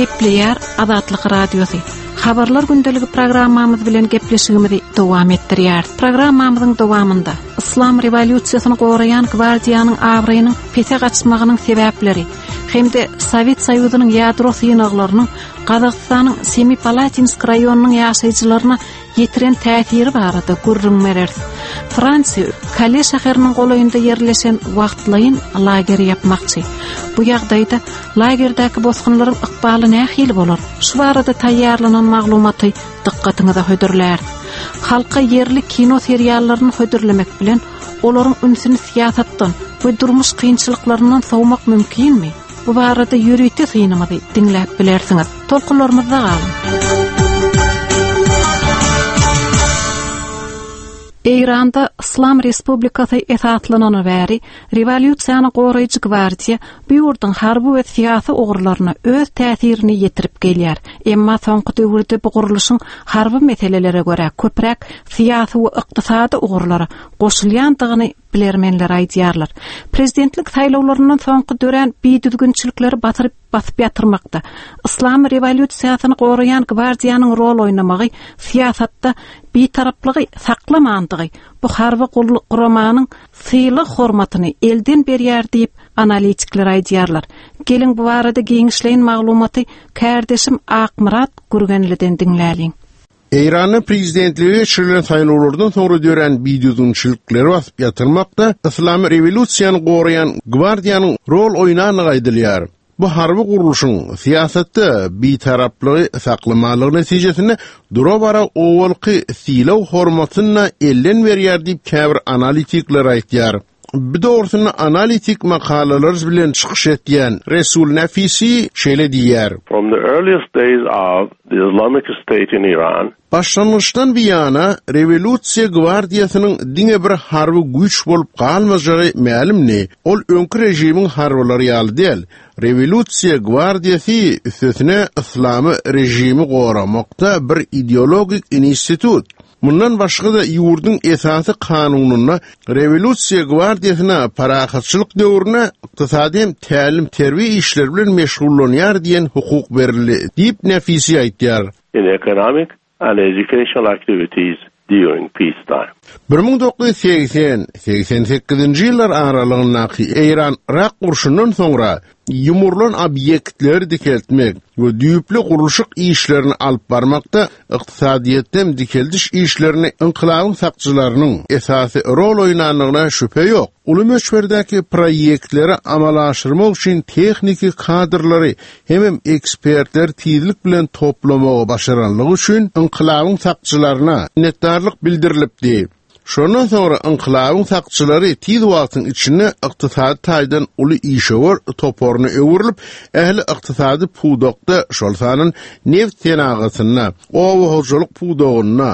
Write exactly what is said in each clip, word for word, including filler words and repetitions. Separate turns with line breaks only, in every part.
Gepleýär Azatlyk Radiosy. Habarlar gündeligi programmamyz bilen gepleşigimizi dowam etdirýär. Programmamyzyň dowamynda Islam rewolýusiýasyny goraýan gwardiýanyň abraýynyň pese gaçmagynyň sebäpleri hem-de Sowet Soýuzynyň ýadro synaglarynyň Gazagystanyň Semipalatinsk raýonynyň ýaşaýjylaryna ýetiren täsiri barada gürrüň bereris. Fransiýa Kale şäheriniň golaýynda ýerleşen wagtlaýyn lager ýapmakçy. Bu ýagdaýda lagerdäki bosgunlaryň ykbaly nähili bolar? Şu barada taýýarlanan maglumaty dykgatyňyza hödürlär. Halka ýerli kino seriallaryny hödürlemek bilen olaryň ünsüni syýasatdan we durmuş kynçylyklaryndan sowmak mümkinmi? Bu barada ýörite synymyzy diňläp bilersiňiz. Tolkunlarymyzda galyň. Eýranda Islam Respublikasy esaslanany bäri rewolýusiýany goraýjy gwardiýa bu ýurduň harby we syýasy ugurlaryna öz täsirini ýetirip gelýär. Emma soňky döwürde bu gurluşyň harby meselelere görä köpräk syýasy we ykdysady ugurlara goşulýandygyny bilermenler aýdýarlar. Prezidentlik saýlawlaryndan soňky dörän bidüzgünçilikleri basyryp basyp ýatyrmakda Islam rewolýusiýasyny goraýan gwardiýanyň rol oýnamagy syýasatda bitaraplygy saklamandygy bu harby guramanyň sylag hormatyny elden berýär diýip analitikler aýdýarlar. Geliň bu barada giňişleýin maglumaty kärdeşim Akmyrat Gürgenliden diňläliň.
Eýranda prezidentlige geçirilen saýlawlardan soňra dörän bidüzgünçilikleri basyp ýatyrmakda Islam rewolýusiýany goraýan gwardiýanyň rol oýnandygy aýdylýar. Bu harby gurluşyň syýasatda bitaraplygy saklamalygy netijesinde dura-bara owalky sylag hormatyny elden berýär diýip käbir analitikler aýtýar. Bu dogrusynda analitik makalalar bilen çykyş etýän Resul Nafisi şeýle diýýär.
From the earliest days of the Islamic State in Iran,
Başlangyçdan bir ýana rewolýusiýa gwardiýasynyň diňe bir harby güýç bolup galmajagy mälimdi. Ol öňki režimiň harbylary ýaly däl. Rewolýusiýa gwardiýasy üstesine islamy režimi goramakda bir ideologik institut. Mundan başga-da ýurduň esasy kanunynda rewolýusiýa gwardiýasyna parahatçylyk döwrüne ykdysady hem tälim-terbiýe işleri bilen meşgullanýar diýen hukuk berildi diýip Nafisi aýtýar.
in economic and educational activities during peacetime.
bir müň dokuz ýüz segsen segsen sekizinji ýyllar aralygyndaky Eýran-Irak urşundan soňra ýumurlan obýektleri dikeltmek we düýpli gurluşyk işlerini alyp barmakda ykdysadyýetden dikeldiş işlerini inqilabyň sakçylarynyň esasy rol oýnandygyna şübhe ýok. Uly möçberdäki proýektleri amala aşyrmak üçin tehniki kadrlary hemem ekspertler tizlik bilen toplamagy başaranlygy üçin inqilabyň sakçylaryna minnetdarlyk bildirilipdi. Şondan soňra inqilabyň sakçylary tiz wagtyň içinde ykdysady taýdan uly işewür toparyna öwrülip, ähli ykdysady pudakda, şol sandan neft senagatynda, oba hojalyk pudagynda,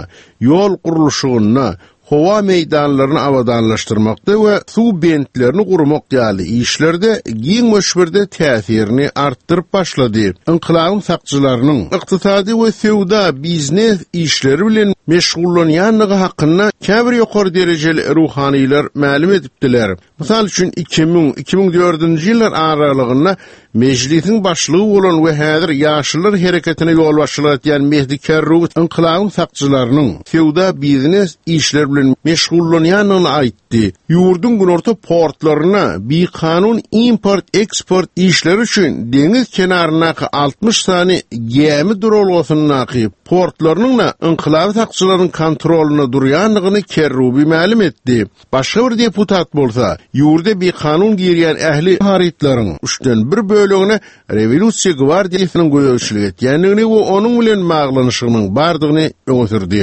ýol gurluşygynda, howa meýdanlaryny abadanlaşdyrmakda we suw bentlerini gurmak ýaly işlerde giň möçberde täsirini artdyryp başlady. Inqilabyň sakçylarynyň ykdysady we söwda biznes işleri bilen meşgullanýandygy hakynda käbir ýokary derejeli ruhanylar mälim edipdiler. Mysal üçin iki müň iki müň dördünji ýyllar aralygynda Mejlisiň başlygy bolan we häzir Ýaşyllar hereketine ýolbaşçylyk etýän Mehdi Kerrubi inqilabyň sakçylarynyň söwda biznes işleri bilen meşgullanýandygyny aýtdy. Ýurduň günorta portlaryna bikanun import-eksport işleri üçin deňiz kenaryndaky altmyş sany gämi duralgasyndaky portlarynyň da inqilaby sakçylaryň kontrolynda durýandygyny Kerrubi mälim etdi. Başga bir deputat bolsa, ýurda bikanun girýän ähli harytlaryň üçden bir bölegine rewolýusiýa gwardiýasynyň gözegçilik etýändigini we onuň bilen baglanyşygynyň bardygyny öňe sürdi.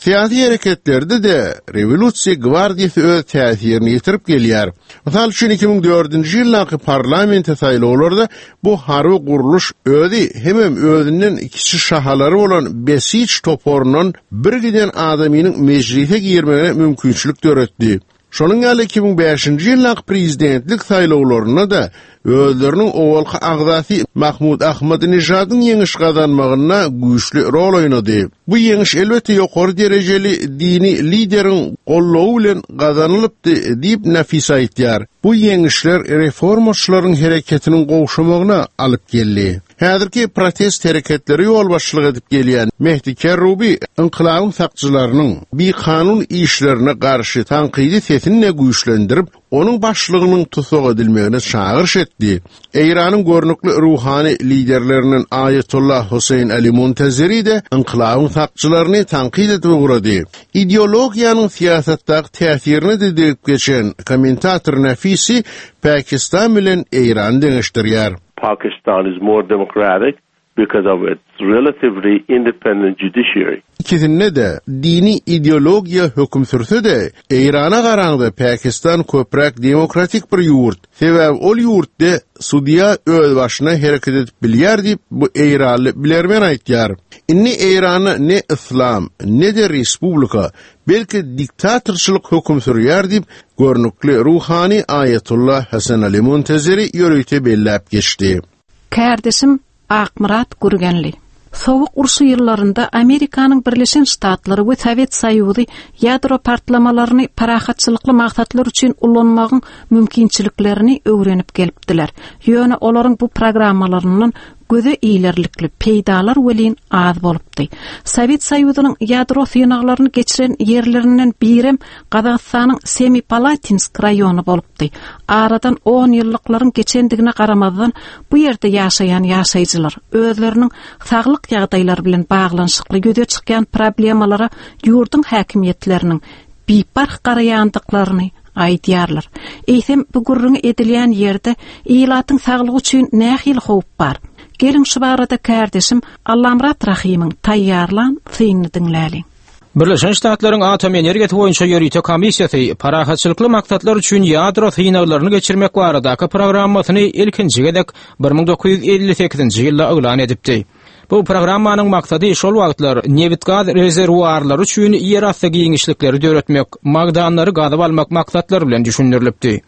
Syýasy hereketlerde de rewolýusiýa gwardiýasy öz täsirini ýetirip gelýär. Mysal üçin iki müň dördünji ýyldaky parlamente saýlawlarda bu harby gurluş özi hemem özünden kiçi şahalary bolan Besiç toparyndan bir giden adamynyň mejlise girmegine mümkinçilik döretdi. Şonuň ýaly iki müň bäşinji ýyldaky prezidentlik saýlawlarynda da özleriniň owalky agzasy Mahmud Ahmadinejadyn ýeňiş gazanmagynda güýçli rol oýnady. Bu ýeňiş elbetde ýokary derejeli dini lideriň gollugy bilen gazanylypdy diýip Nafis aýtýar. Bu ýeňişler reformaçylaryň hereketiniň gowşamagyna alyp geldi. Häzirki protest hereketleri ýolbaşçylyk edip gelýän Mehdi Kerrubi inqilabyň sakçylarynyň bikanun işlerine garşy tankydy sesini güýçlendirip, onuň başlygynyň tussag edilmegine çagyryş etdi. Eýranyň görnükli ruhany liderlerinden Ayetullah Hüseyin Ali Muntazeri de inqilabyň sakçylaryny tankyt edip ugrady. Ideologiýanyň syýasatdaky täsirini de degip geçen kommentator Nafisi Pakistan bilen Eýrany deňeşdirýär.
Pakistan is more democratic because of its relatively independent judiciary.
Ikisinde de dini ideologiýa höküm sürse de Eýrana garaňda Pakistan köpräk demokratik bir ýurt. Sebäbi ol ýurtda sudýa öz başyna hereket edip bilýär diýip bu Eýranly bilermen aýtýar. Inni Eýrana ne islam, ne de respublika, belki diktatorçylyk höküm sürýär diýip görnükli ruhany Ayetullah Hasan Ali Muntazeri ýörite belläp geçdi.
Kärdeşim Akmyrat Gürgenli. Sowuk urşy ýyllarynda Amerikanyň Birleşen Ştatlary we Sowet Soýuzy ýadro partlamalaryny parahatçylykly maksatlar üçin ulanmagyň mümkinçiliklerini öwrenip gelipdiler. Ýöne olaryň bu programmalaryndan göze ilerlikli peýdalar welin az bolupdy. Sowet Soýuzynyň ýadro synaglaryny geçiren ýerlerinden birem Gazagystanyň Semipalatinsk raýony bolupdy. Aradan on ýyllyklaryň geçendigine garamazdan bu ýerde ýaşaýan ýaşaýjylar özleriniň saglyk ýagdaýlary bilen baglanyşykly ýüze çykýan problemalara ýurduň häkimiýetleriniň biparh garaýandyklaryny aýdýarlar. Eýsem bu gürrüňi edilýän ýerde ilatyň saglygy üçin nähili howp bar? Geliň şu barada kärdeşim Allamrat Rahimyň taýýarlan synyny diňläliň.
Birleşen Ştatlaryň Atom Energiýasy boýunça ýörite komissiýasy parahatçylykly maksatlar üçin ýadro synaglaryny geçirmek baradaky programmasyny ilkinji gezek bir müň dokuz ýüz elli sekizinji ýylda yglan edipdi. Bu programmanyň maksady şol wagtlar nebit-gaz rezerwuarlary üçin ýerasty giňişlikleri döretmek, magdanlary gazyp almak maksatlary bilen düşündirilipdi.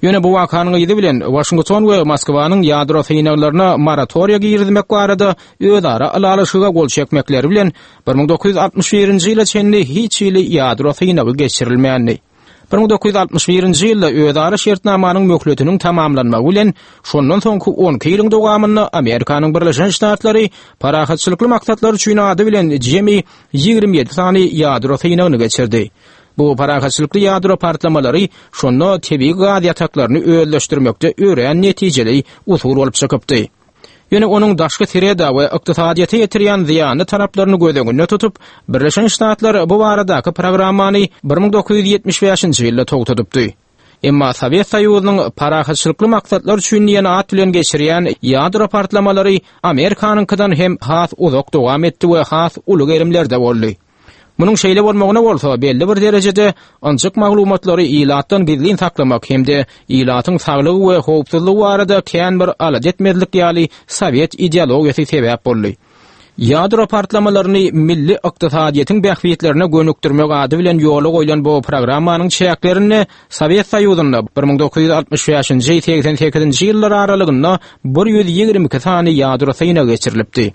Ýöne bu wakanyň yzy bilen Washington we Moskwanyň ýadro synaglaryna moratoriýa girizmek barada özara ylalaşyga gol çekmekleri bilen bir müň dokuz ýüz altmyş birinji ýyla çenli hiç hili ýadro synagy geçirilmändi. Bir müň dokuz ýüz altmyş birinji ýylda özara şertnamanyň möhletiniň tamamlanmagy bilen şondan soňky on iki ýylyň dowamynda Amerikanyň Birleşen Ştatlary parahatçylykly maksatlar üçin ady bilen jemi ýigrimi ýedi sany ýadro synagyny geçirdi. Bu parahatçylykly ýadro partlamalary şonda tebigy gaz ýataklaryny özleşdirmekde örän netijeli usul bolup çykypdy. Ýöne onuň daşky sreda we ykdysadyýete ýetirýän zyýanly taraplaryny göz öňünde tutup, Birleşen Ştatlar bu baradaky programmany bir müň dokuz ýüz ýetmiş bäşinji ýylda togtadypdy. Emma Sowet Soýuzynyň parahatçylykly maksatlar üçin diýen at bilen geçirýän ýadro partlamalary Amerikanyňkydan hem has uzak dowam etdi we has uly gerimlerde boldy. Munuň şeýle bolmagyna bolsa belli bir derejede ynjyk maglumatlary ilatdan gizlin saklamak hem-de ilatyň saglygy we howpsuzlygy barada kän bir alada etmezlik ýaly Sowet ideologiýasy sebäp boldy. Ýadro partlamalaryny milli ykdysadyýetiň bähbitlerine gönükdirmek ady bilen ýola goýlan bu programmanyň çäklerinde Sowet Soýuzynda bir müň dokuz ýüz altmyş bäşinji segsen sekizinji ýyllar aralygynda bir ýüz ýigrimi iki sany ýadro synagy geçirilipdi.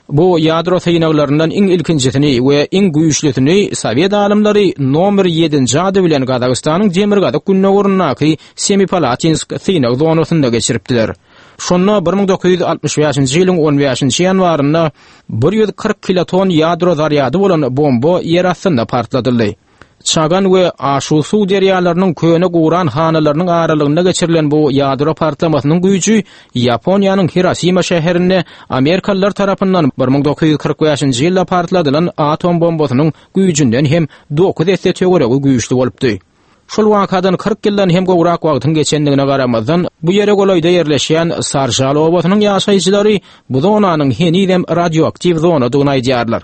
Bu ýadro synaglaryndan iň ilkinjisini we iň güýçlüsini Sowet alymlary nomer ýedinji ady bilen Gazagystanyň demirgazyk gündogaryndaky Semipalatinsk synag zonasynda geçiripdiler. Şonda bir müň dokuz ýüz altmyş bäşinji ýylyň on bäşinji ýanwarynda bir ýüz kyrk kiloton ýadro zarýady bolan bomba ýer astynda partladyldy. Çagan we Aşusu derýalarynyň köne guran hanalarynyň aralygynda geçirilen bu ýadro partlamasynyň güýji Ýaponiýanyň Hirosima şäherinde Amerikalylar tarapyndan bir müň dokuz ýüz kyrk bäşinji ýylda partladylan atom bombasynyň güýjünden hem dokuz esse töweregi güýçli bolupdy. Şol wakadan kyrk ýyldan hem gowrak wagtyň geçendigine garamazdan bu ýere golaýda ýerleşýän Sarjal obasynyň ýaşaýjylary bu zonanyň henizem radioaktiw zonadygyny aýdýarlar.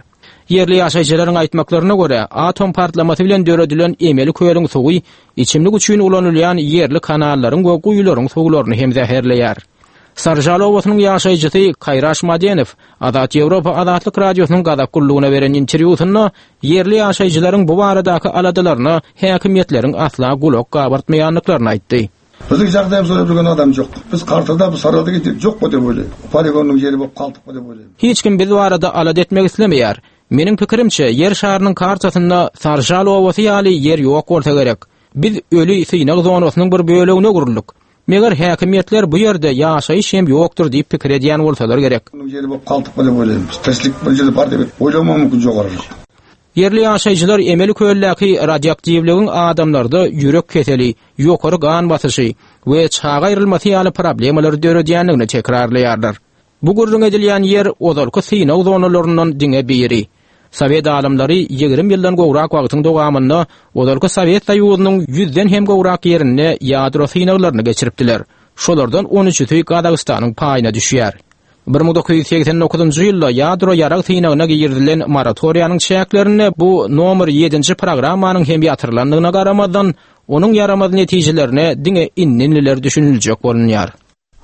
Ýerli ýaşaýjylaryň aýtmaklaryna görä, atom partlamasy bilen döredilen emeli kölüň suwy içimlik üçin ulanylýan ýerli kanallaryň we guýularyň suwlaryny hem zäherleýär. Sarjal obasynyň ýaşaýjysy Kaýraş Madenow Azat Ýewropa Azatlyk Radiosynyň Gazak gullugyna beren interwýusynda ýerli ýaşaýjylaryň bu baradaky aladalaryna häkimiýetleriň asla gulak gabartmaýandyklaryny aýtdy.
Biziň ýagdaýymyzy bilýän adam ýok. Biz kartada bu sarada gidip ýok bu diýip oýlaýar. Poligonyň ýeri bolup galdyk bu diýip oýlaýar.
Hiç kim biz barada alada etmek islemeýär. Meniň pikirimçe, ýer şarynyň kartasynda Sarjal obasy ýaly ýer ýok bolsa gerek. Biz öli synag zonasynyň bir bölegine guruldyk. Meger häkimiýetler bu ýerde ýaşaýyş hem ýokdur diýip pikir edýän bolsalar gerek.
Ýeri bolup galdyk diýip oýlaýmyz. Tirslik bir ýerde bar diýip oýlamam mümkin ýogarylyk.
Ýerli ýaşaýjylar emeli köldäki radioaktiwligiň adamlarda ýürek keseli, ýokary gan basyşy we çaga aýrylmasy ýaly problemalary döredýändigini tekrarlaýarlar. Bu gürrüň edilýän ýer ozalky synag zonalaryndan diňe biri. Sowet alymlary ýigrimi ýyldan gowrak wagtyň dowamynda ozalky Sowet Soýuzynyň ýüzden hem gowrak ýerinde ýadro synaglaryny geçiripdiler. Şolardan on üçüsi Gazagystanyň paýyna düşýär. bir müň dokuz ýüz segsen dokuzynjy ýylda ýadro ýarag synagyna girizilen moratoriýanyň çäklerinde bu nomer ýedinji programmanyň hem ýatyrylandygyna garamazdan, onuň ýaramaz netijelerine diňe indinliler düşüniljek bolunýar.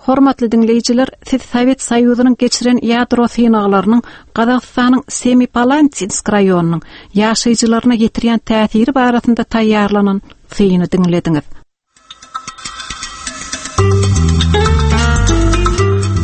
Hormatly dinleýjiler, siz Sowet Soýuzynyň geçiren ýadro synaglarynyň Gazagystanyň Semipalantinsk raýonynyň ýaşaýjylaryna ýetirýän täsiri barasynda taýýarlanan syny diňlediňiz.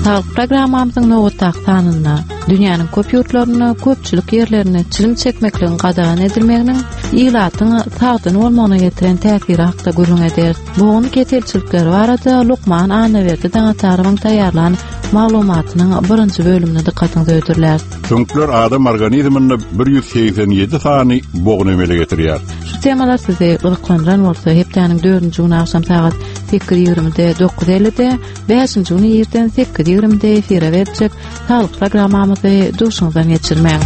Saglyk programmamyzyň nobatdaky sanynda dünýäniň köp ýurtlarynda köpçülik ýerlerinde çilim çekmekligiň gadagan edilmeginiň ilatyň sagdyn bolmagyna getiren täsiri hakda gürrüň ederis. Bogun keselçilikleri barada Lukman Annaberdi Daňatarowyň taýýarlan maglumatynyň birinji bölümine dykgatyňyzy ödürler.
Süňkler adam organizminde bir ýüz segsen ýedi sany bogun emele getirýär.
Şu temalar sizi gyzyklandyran bolsa, hepdäniň dördünji güni agşam sagat sekiz ýigrimide, dokuz ellide, bäşinji güni irden sekiz ýigrimide efire berjek saglyk programmamyzy duşuňyzdan geçirmäň.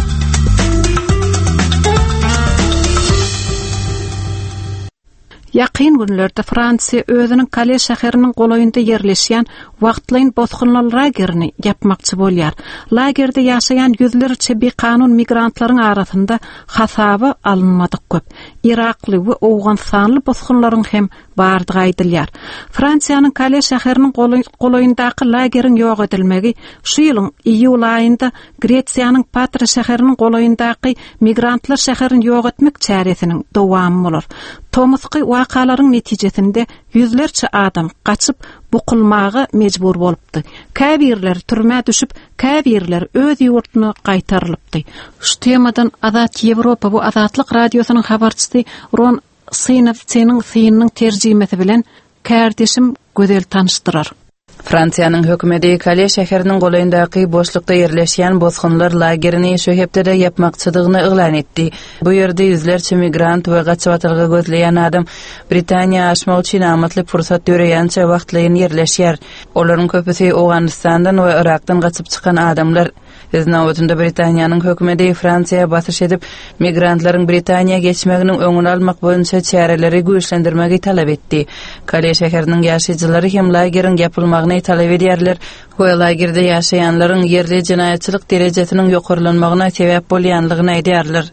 Ýakyn günlerde Fransiýa özüniň Kale şäheriniň golaýynda ýerleşýän wagtlaýyn bosgunlar lagerini ýapmakçy bolýar. Lagerde ýaşaýan ýüzlerçe bikanun migrantlaryň arasynda hasaba alynmadyk köp. Irakly we Owganystanly bosgunlaryň hem bardygy aýdylýar. Fransiýanyň Kale şäheriniň golaý-, golaýyndaky lageriň ýok edilmegi şu ýylyň iýul aýynda Gresiýanyň Patra şäheriniň golaýyndaky migrantlar şäherini ýok etmek çäresiniň dowamy bolar. Tomusky wakalaryň netijesinde ýüzlerçe adam gaçyp bukulmaga mejbur bolupdy. Käbirleri türmä düşüp, käbirleri öz ýurtuna gaýtarylypdy. Şu temadan Azat Ýewropa bu Azatlyk radiosynyň habarçysy Ron Synovsiniň synynyň terjimesi bilen kärdeşim Gözel tanyşdyrar.
Fransiýanyň hökümeti Kale şäheriniň golaýyndaky boşlukda ýerleşýän bosgunlar lagerini şu hepdede ýapmakçydygyny yglan etdi. Bu ýerde ýüzlerçe migrant we gaçybatalga gözleýän adam Britaniýa aşmak üçin amatly pursat döreýänçe wagtlaýyn ýerleşýär. Olaryň köpüsi Owganystandan we Irakdan gaçyp çykan adamlar. Öz nobatynda Britaniýanyň hökümeti Fransiýa basyş edip, migrantlaryň Britaniýa geçmeginiň öňüni almak boýunça çäreleri güýçlendirmegi talap etdi. Kale şäheriniň ýaşaýjylary hem lageriň ýapylmagyny talap edýärler we lagerde ýaşaýanlaryň ýerli jenaýatçylyk derejesiniň ýokarlanmagyna sebäp bolýanlygyny aýdýarlar.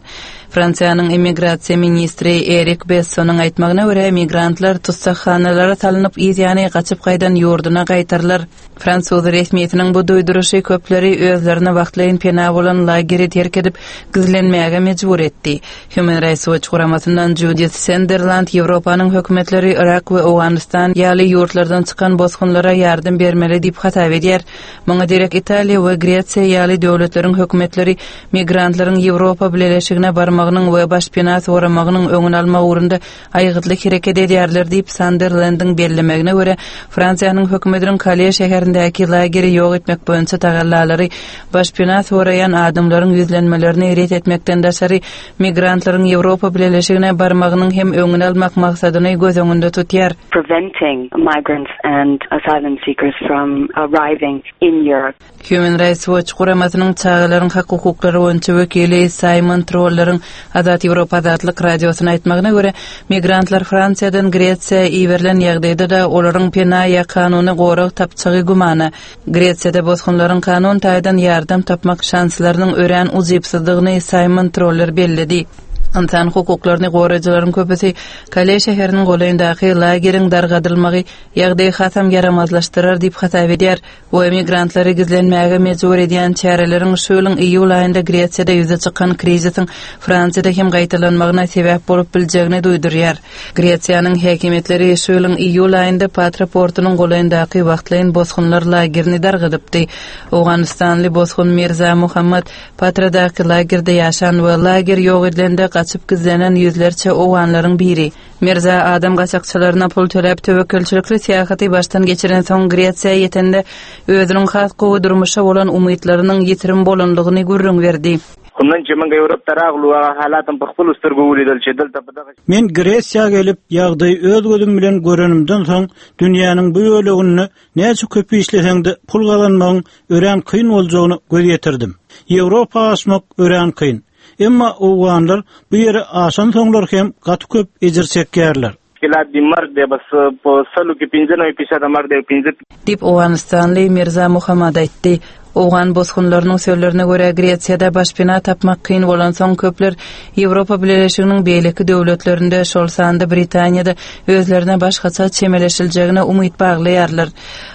Fransiýanyň immigrasiýa ministri Erik Bessonyň aýtmagyna görä, migrantlar tussaghanalara salnyp, ýany gaçyp gaýdan ýurduna gaýtarylar. Fransuz resmiýetiniň bu duýduryşy köpleri özlerine wagtlaýyn pena bolan lageri terk edip, gizlenmäge mejbur etdi. Human Rights Watch guramasyndan Judith Sunderland Ýewropanyň hökümetleri Irak we Owganystan ýaly ýurtlardan çykan bosgunlara ýardam bermeli diýip hasap edýär. Muňa derek Italiýa we Gresiýa ýaly döwletleriň hökümetleri migrantlaryň Ýewropa Bileleşigine barmagynyň we başpena soramagynyň öňüni almak ugrunda aýgytly hereket edýärler diýip Sunderlandyň bellemegine görä, Fransiýanyň hökümetiniň Kale şäherindäki lageri ýok etmek boýunça tagallalary başpena soraýan adamlaryň ýüzlenmelerini ret etmekden daşary migrantlaryň Ýewropa Bileleşigine barmagynyň hem öňüni almak maksadyny göz öňünde tutýar.
Preventing migrants and asylum seekers from arriving in Europe.
Human Rights Watch guramasynyň çagalaryň hak hukuklary boýunça wekili Simon Trolleriň Azat Ýewropa Azatlyk radiosyna aýtmagyna görä, migrantlar Fransiýadan Gresiýa iberilen ýagdaýda-da olaryň pena ýa kanuny gorag tapjagy gümana. Gresiýada bosgunlaryň kanun taýdan ýardam tapmak şanslarynyň örän ujypsyzdygyny Simon Troller belledi. Insan hukuklaryny goraýjylaryň köpüsi Kale şäheriniň golaýyndaky lageriň dargadylmagy ýagdaýy hasam ýaramazlaşdyrar diýip hasap edýär. We migrantlary gizlenmäge mejbur edýän çäreleriň şu ýylyň iýul aýynda Gresiýada ýüze çykan krizisiň Fransiýada hem gaýtalanmagyna sebäp bolup biljegini duýdurýar. Gresiýanyň häkimiýetleri şu ýylyň iýul aýynda Patra portunyň golaýyndaky wagtlaýyn bosgunlar lagerini dargadypdy. Owganystanly bosgun Mirza Muhammad Patradaky lagerde ýaşan we lager ýok edilende Gaçyp gizlenen ýüzlerçe owganlaryň biri. Mirza adam gaçakçylaryna pul töläp töwekgelçilikli syýahaty başdan geçiren soň Gresiýa ýetende özüniň has gowy durmuşa bolan umytlarynyň ýitirim bolanlygyny gürrüň berdi.
Men Gresiýa gelip, ýagdaýy öz gözüm bilen görenimden soň dünýäniň bu böleginde näçe köp işleseň-de pul gazanmagyň örän kyn boljagyny göz ýetirdim. Ýewropa aşmak örän kyn. Emma owganlar bu ýere aşan soňlar hem gaty köp ejir çekýärler.
Diýip Owganystanly Mirza Muhammad aýtdy. Owgan bosgunlarynyň sözlerine görä Gresiýada başpena tapmak kyn bolan soň köpler Ýewropa Bileleşiginiň beýleki döwletlerinde, şol sanda Britaniýada özlerine başgaça çemeleşiljegine umyt baglaýarlar.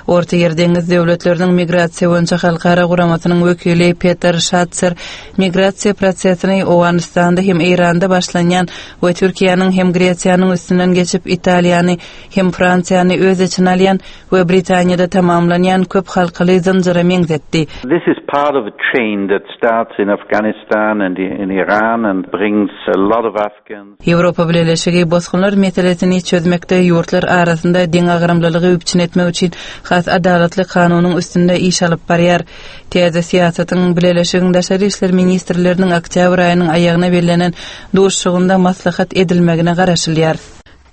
Orta Ýer deňiz döwletleriniň migrasiýa boýunça halkara guramasynyň wekili Peter Schatzer migrasiýa prosesini Owganystanda hem Eýranda başlanýan we Türkiýäniň hem Gresiýanyň üstünden geçip Italiýany hem Fransiýany öz içine alýan we Britaniýada tamamlanýan köp halkaly zynjyra meňzetdi.
This is part of a chain that starts in Afghanistan and in Iran and brings a lot of Afghans.
Ýewropa Bileleşigi bosgunlar meselesini çözmekde ýurtlar arasynda deňagramlylygy üpjün etmek üçin has adalatly kanunyň üstünde iş alyp barýar. Täze syýasatyň Bileleşigiň daşary işler ministrleriniň oktýabr aýynyň aýagyna bellenen duşuşygynda maslahat edilmegine garaşylýar.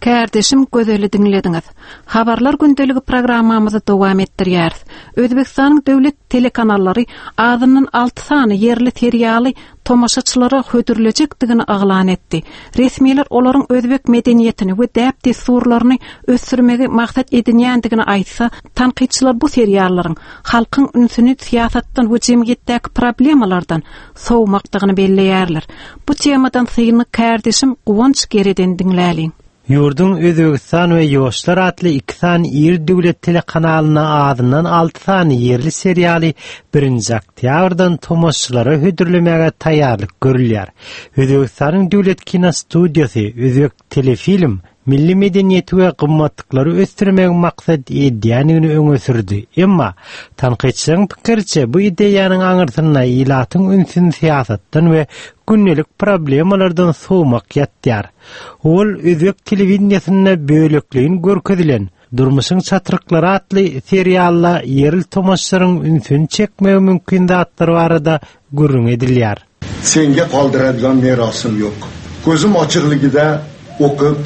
Kärdeşim Gözeli diňlediňiz. Habarlar gündeligi programmamyzy dowam etdirýäris. Özbekistanyň döwlet telekanallary azyndan alty sany ýerli serialy tomaşaçylara hödürlejekdigini yglan etdi. Resmiler olaryň özbek medeniýetini we däp-dessurlaryny ösdürmegi maksat edinýändigini aýtsa, tankytçylar bu seriallaryň halkyň ünsüni syýasatdan we jemgyýetdäki problemalardan sowmakdygyny belleýärler. Bu temadan syny kärdeşim Guwanç Gereden diňläliň.
Ýurduň Özbegistan we Ýoşlar atly iki sany iri döwlet telekanalyna azyndan alty sany ýerli serialy birinji oktýabrdan tomaşaçylara hödürlemäge taýýarlyk görülýär. Özbegistanyň döwlet kino studiýasy Özbek telefilm milli medeniýeti we gymmatlyklary ösdürmegiň maksat edýändigini öňe sürdi. Emma tankytçylaryň pikiriçe bu ideýanyň aňyrsynda ilatyň ünsüni syýasatdan we gündelik problemalardan sowmak ýatýar. Ol Özbek telewideniýesinde bölekleýin görkezilen Durmuşyň çatryklary atly serialla ýerli tomaşaçylaryň ünsüni çekmegi mümkin zatlar barada gürrüň edilýär.
Senga qoldiradigan merosim yo'q. Ko'zim ochiqligida o'qib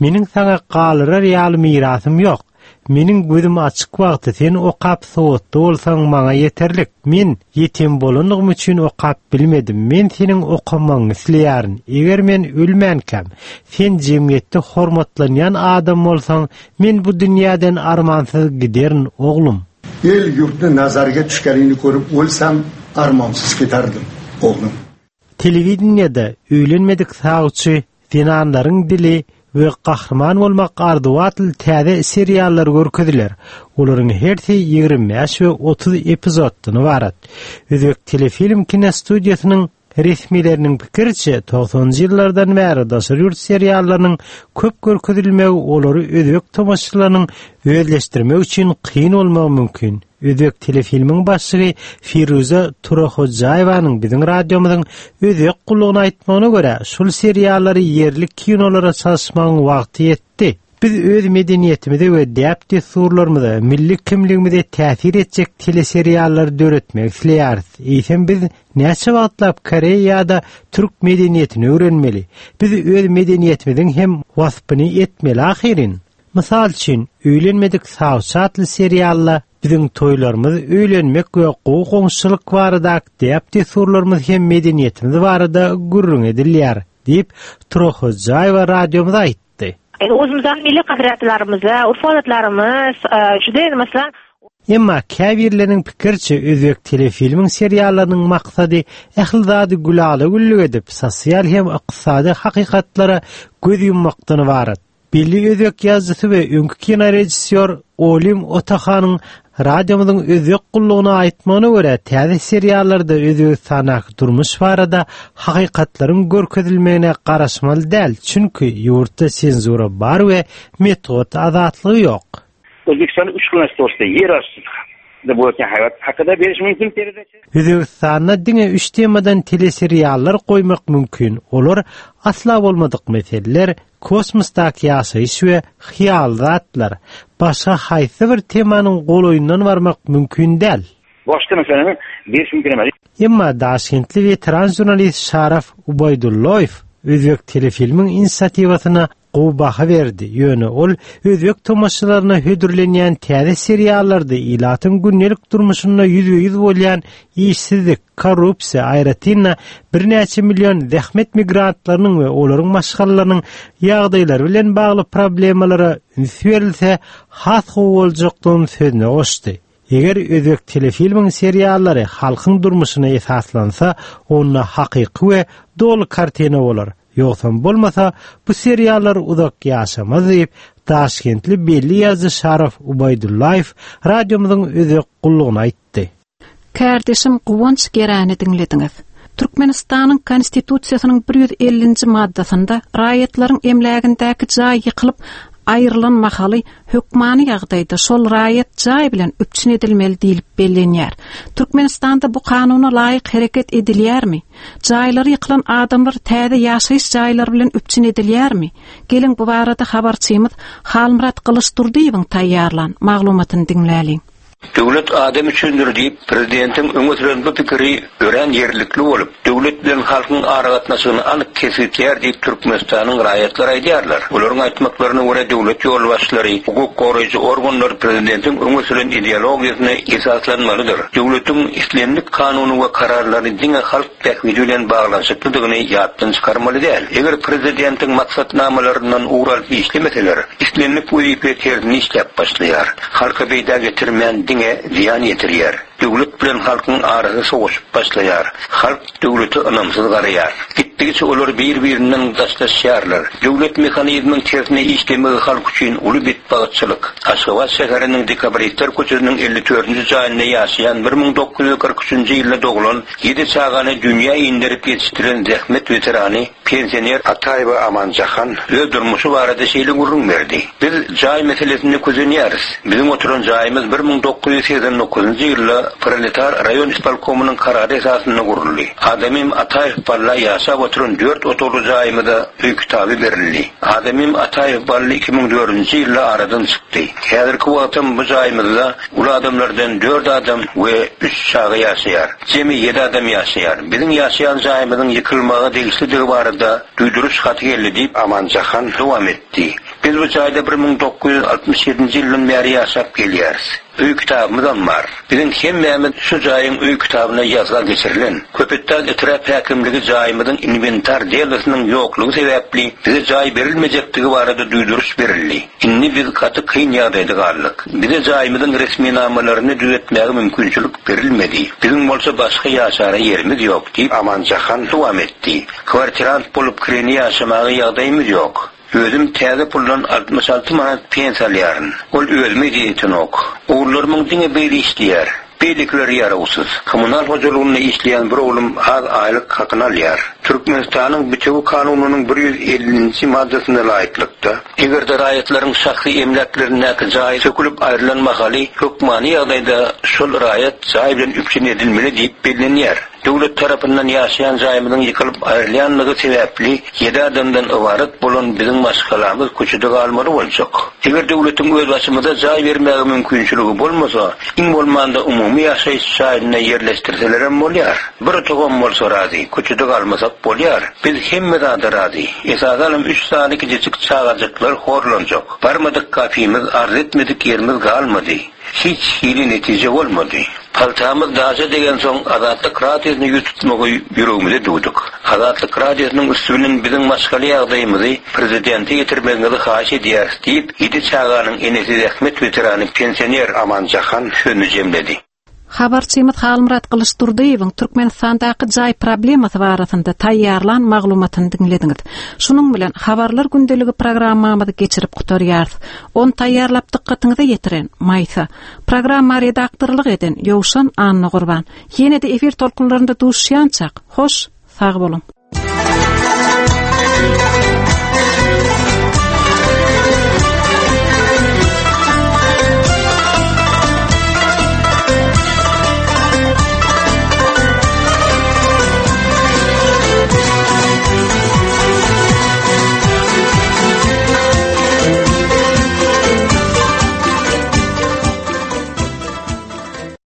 Meniň saňa galyrar ýaly mirasym ýok. Meniň gözüm açyk wagty sen okap sowatly bolsaň maňa ýeterlik. Men ýetim bolanlygym üçin okap bilmedim. Men seniň okamagyňy isleýärin. Eger men ölmänkäm, sen jemgyýetde hormatlanýan adam bolsaň, men bu dünýäden armansyz giderin oglum.
El yurtni nazariga tushganingni ko'rib o'lsam armonsiz ketardim o'g'lim.
Telewideniýede öýlenmedik sawçy, zenanlaryň dili we gahryman bolmak arzuwy atly täze seriallar görkeziler. Olaryň hersi ýigrimi bäş we otuz epizoddan ybarat. Özbek telefilm kino studiýasynyň resmileriniň pikiriçe togsanjy ýyllardan bäri daşary ýurt seriallarynyň köp görkezilmegi olary özbek tomaşaçylarynyň özleşdirmek üçin kyn bolmagy mümkin. Özbek telefilmiň başlygy Firuza Turahojaýewanyň biziň radiomyzyň özbek gullugyna aýtmagyna görä, şol seriallary ýerli kinolara çalyşmagyň wagty ýetdi. Biz öz medeniýetimize we däp-dessurlarymyza, milli kimligimize täsir etjek teleseriallary döretmek isleýäris. Eýsem biz näçe wagtlap Koreýa ýa-da türk medeniýetini öwrenmeli? Biz öz medeniýetimiziň hem waspyny etmeli ahyrin. Mysal üçin, öýlenmedik sawçy atly serialla biziň toýlarymyz öýlenmek we gowy goňşuçylyk barada däp-dessurlarymyz hem medeniýetimiz barada gürrüň edilýär, diýip Turahojaýewa radiomyza aýtdy.
O'zimizning milliy qadriyatlarimiz, urf-odatlarimiz juda masalan
Emma käbirleriniň pikiriçe Özbek telefilmiň seriallarynyň maksady ähli zady gülala güllük edip, sosial hem ykdysady hakykatlara göz ýummakdan ybarat. Belli özbek ýazyjysy we öňki kino rejissýor Olim Otahanyň radiomyzyň özbek gullugyna aýtmagyna görä, täze seriallarda Özbegistandaky durmuş barada hakykatlaryň görkezilmegine garaşmaly däl, çünki ýurtda senzura bar we metbugat azatlygy ýok.
O'zbekistonda uch xil narsa to'g'risida yer osti ham, aslida bo'layotgan hayot haqida berish mümkün передача.
Özbekistanda diňe üç temadan teleseriallar goýmak mümkin. Olar asla bolmadyk meseleler, kosmosdaky ýaşaýyş we hyýal zatlar. Başga haýsy bir temanyň golaýyndan barmak mümkin däl.
Boshqa masalani berish mümkin emas.
Emma Daşkentli veteran jurnalist Şaraf Ubaydulloyew Özbek telefilmiň inisiatiwasyna gowy baha berdi. Ýöne ol özbek tomaşaçylaryna hödürlenýän täze seriallarda ilatyň gündelik durmuşynda ýüzbe-ýüz bolýan işsizlik, korrupsiýa, aýratyn birnäçe million zähmet migrantlarynyň we olaryň maşgalalarynyň ýagdaýlary bilen bagly problemalara üns berilse, has gowy boljakdygyny sözüne goşdy. Eger özbek telefilmiň seriallary halkyň durmuşyna esaslansa, onda hakyky we doly kartina bolar. Ýogsam bolmasa, bu seriallar uzak ýaşamaz diýip, Daşkentli belli ýazyjy Şaraf Ubaydullaýew radiomyzyň özbek gullugyna aýtdy.
Kärdeşim Guwanç Geräni diňlediňiz. Türkmenistanyň Konstitusiýasynyň bir ýüz ellinji maddasynda raýatlaryň emlägindäki jaý ýykylyp aýrylan mahaly hökmany ýagdaýda şol raýat jaý bilen üpjün edilmeli diýilip bellenýär. Türkmenistanda bu kanuna laýyk hereket edilýärmi? Jaýlary ýykylan adamlar täze ýaşaýyş jaýlary bilen üpjün edilýärmi? Geliň bu barada habarçymyz Halmyrat Gylyçdurdyýewiň taýýarlan maglumatyny diňläliň.
Döwlet adam üçindir diýip prezidentiň öňe süren bu pikiri örän ýerlikli bolup, döwlet bilen halkyň aragatnaşygyny anyk kesgitleýär diýip Türkmenistanyň raýatlary aýdýarlar. Olaryň aýtmaklaryna görä döwlet ýolbaşçylary, hukuk goraýjy organlar prezidentiň öňe süren ideologiýasyna esaslanmalydyr. Döwletiň islendik kanuny we kararlary diňe halk bähbidi bilen baglanyşyklydygyny ýatdan çykarmaly däl. Eger prezidentiň maksatnamalaryndan ugur alyp işlemeseler, islendik wezipe tersini işläp başlaýar. Halka peýda getirmän diňe ziýan ýetirýär. Döwlet bilen halkyň arasy sowaşyp başlaýar. Halk döwlete ynamsyz garaýar. Gitdigiçe olar bir-birinden daşlaşýarlar. Döwlet mehanizminiň tersine işlemegi halk üçin uly betbagtçylyk. Aşgabat şäheriniň Dekabristler köçesiniň elli dördünji jaýynda ýaşaýan bir müň dokuz ýüz kyrk üçünji ýylda doglan ýedi çagany dünýä indirip ýetişdiren zähmet weterany pensioner Ataýewa Amanjahan öz durmuşy barada şeýle gürrüň berdi. Biz jaý meselesinde közenýäris. Biziň oturan jaýymyz bir müň dokuz ýüz segsen dokuzynjy ýylda Proletar raýon ispolkomynyň karary esasynda guruldy. Adamym Ataýew Balla ýaşap oturan dört otagly jaýymyza öý kitaby berildi. Adamym Ataýew Bally iki müň dördünji ýylda aradan çykdy. Häzirki wagtda bu jaýymyzda uly adamlardan dört adam we üç çaga ýaşaýar. Jemi ýedi adam ýaşaýar. Biziň ýaşaýan jaýymyzyň ýykylmaga degişlidigi barada duýduryş haty geldi diýip Amanjahan dowam etdi. Biz bu jaýda bir müň dokuz ýüz altmyş ýedinji ýyldan bäri ýaşap gelýäris. Öý kitabymyzam bar. Biziň hemmämiz şu jaýyň öý kitabyna ýazga geçirilen. Köpetdag etrap häkimligi jaýymyzyň inwentar delosiniň ýoklugy sebäpli bize jaý berilmejekdigi barada duýduryş berildi. Indi biz gaty kyn ýagdaýda galdyk. Bize jaýymyzyň resminamalaryny düzetmäge mümkinçilik berilmedi. Biziň bolsa başga ýaşara ýerimiz ýok diýip Amanjahan dowam etdi. Kwartirant bolup kireni ýaşamaga ýagdaýymyz ýok. Özüm täze puldan altmyş alty manat pensiýa alýaryn. Ol özüme ýetenok. Ogullarymyň diňe biri işleýär. Beýlekileri ýarawsyz. Kommunal hojalygynda işleýän bir oglum az aýlyk hakyny alýar. Türkmenistanyň bütewi kanunynyň bir ýüz ellinji maddasyna laýyklykda, eger-de raýatlaryň şahsy emläklerindäki jaý sökülip aýrylan mahaly hökmany ýagdaýda şol raýat jaý bilen üpjün edilmeli diýip bellenýär. Döwlet tarapyndan ýaşaýan jaýymyzyň ýykylyp aýrylýanlygy sebäpli ýedi adamdan ybarat bolan biziň maşgalamyz köçede galmaly boljak. Eger döwletiň öz başymyza jaý bermäge mümkinçiligi bolmasa, iň bolmanda umumy ýaşaýyş jaýynda ýerleşdirselerem bolýar. Bir otagam bolsa razy, köçede galmasak bolýar. Biz hemme zada razy. Esasanam üç sany kiçijik çagajyklar horlanjak. Barmadyk kafimiz, arz etmedik ýerimiz galmady. Hiç hili netije bolmady. Paltamyz daşa degen soň Azatlyk radiosyny ýüz tutmagy ýüregimize düwdük. Azatlyk radiosynyň üstü bilen biziň maşgala ýagdaýymyzy prezidente ýetirmegiňizi haýyş edýäris diýip, ýedi çaganyň enesi zähmet weterany pensioner Amanjahan sözüni jemledi.
Habarçymyz Halmyrat Gylyçdurdyýewiň Türkmenistandaky jaý problemasy barasynda taýýarlan maglumatyny diňlediňiz. Şunuň bilen habarlar gündeligi programmamyzy geçirip gutarýarys. On taýýarlap dykgatyňyza ýetiren Maýsa, programma redaktorlyk eden Ýowşan Annagurban. Ýene-de efir tolkunlarynda duşýançak, hoş, sag boluň.